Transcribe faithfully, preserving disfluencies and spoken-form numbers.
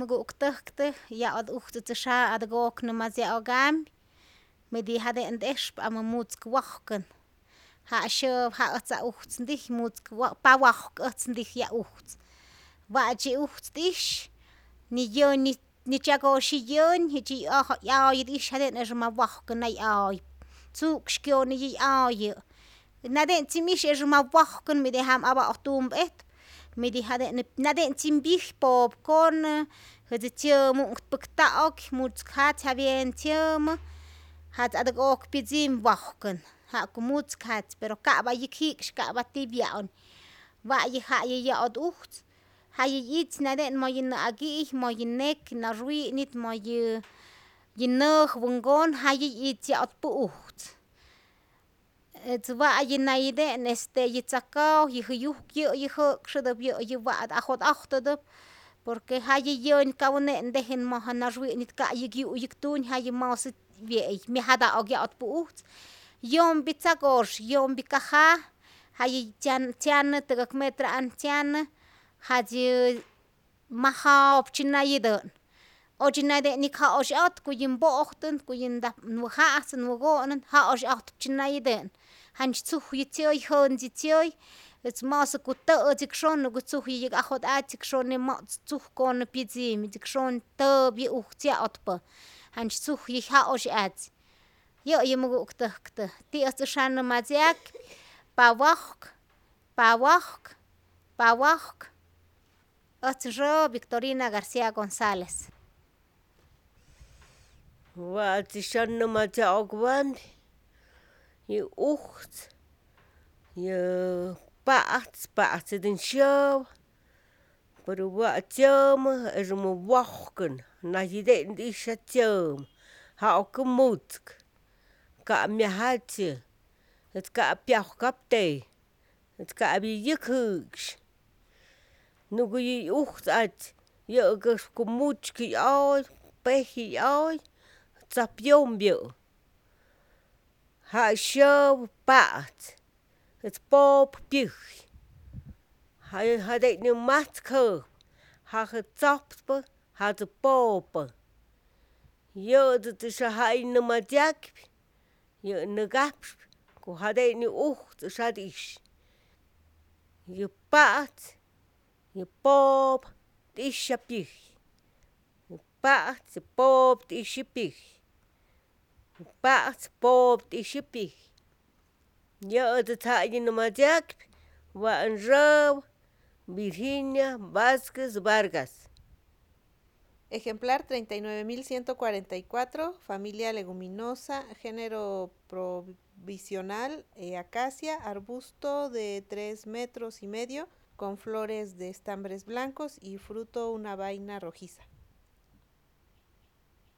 muguktajktaj ya't ujtzutzäsya adäkok näjmasya'o'kam midi jade'en t'expä amämutzk wojkä, ja'syä ja'ätza ujtz ndij mutzk wa pawajk äjtz ndij ya ujtz, wa'tyi ujtz t'ix ni yän ni ni tzyakosyi yän ji'tyi 'ya'oyä t'ix jade'en ixä ma wojkä nä 'ya'oy, tzu'k kyonäyä 'ya'oyä, nate'ntzim ix ixä ma wojkä midi jam aba'oj tump'ejtpa, midi jade'nä nate'ntzim mpyij popcorn, tzyämu'kpäkta'ok mutzk jats jyabien tzyämä jats adäk'ok pyätz'im wojkä ja'ku mutzk jats, pero ka'pa yäk ji'ksyaj ka'pa tipya'u, wa'yä ja'yä yä'ot ujtz jayä itz nate'n moyä nä'aki'ij, moyä nek nä rwi'nit, moyä yä näj wänhkon jayä itz ya'otpä ujtz, ätz wa'ye näide'n este yä tzaka'oj yä jäyujkyä' yä jä'ksytäp yä' yä wa't ajot'ojtätäp por que jayä yän kauk ne'nteje mäja nä rwi'nit ka'yäk yu'yäk tuny jayä mojsa wye'ey myajata'ok ya'otpä ujtz, yompi tzako'ox, yompi kaja jayä tzyana tzyana tä'käk metra'an tzyana ja'tzyä maja'op tzyänayatä'n, otzyänaye't'ijna ja'osy'ot ku yä mpo'ojtän ku yä nta wäja'ajtzä wäko'nän ja'osy'ojtp tzyänayatä'n, janch tzujyä tzyäy jäntzi tzyäy ätz ma'äsä ku tä'ätzi'k sone ku tzujyä yäk ajot'atzä'k sone mo'tz tzujkonä pyätz'imä, yä'k sone täpyä ujtz ya'otpä, janch tzujyä ja'osy'atzi, yä'yä muku'ktäjktä ti'yäjt äjtyä näjmatzyak pawojk, pawojk, pawojk, äjtz nkä Victorina Garcia Gonzalez. Wa'tzi syanämatzya'ok wänti yä ujtz, yä pa'tz, pa'tzätä syäwä pero wa tzyämä erämä wojkä näyi'te'n t'ixya tzyämä ja'okä mutzk, ka'myajatzya ät ka'pyajkapte ät ka'pyä yäk jä'ksy, nuku yä ujtz a'tz yä'käs mutzkä 'yoy, pejyä 'yoy, tzajp yompyä', ja' syäwä pa'tz, ät popä pyäj, ja jate'nä matzkjäjpa, jajä tzojpspä jatzä popä, yä'tä ja'ä nämatzyakpy yä' näkapsy ku jate'nä ujtz äjtyä, yä pa'tz yä popä t'isya pyäj, yä pa'tz yä popä t'isya pyäj, yä pa'tz popä t'isya pyäj, yä'tä ja'yä nämatzyakpy wa't räwä Virginia Vazquez Vargas. Ejemplar treinta y nueve mil ciento cuarenta y cuatro, familia leguminosa, género provisional, eh, acacia, arbusto de tres metros y medio, con flores de estambres blancos y fruto una vaina rojiza.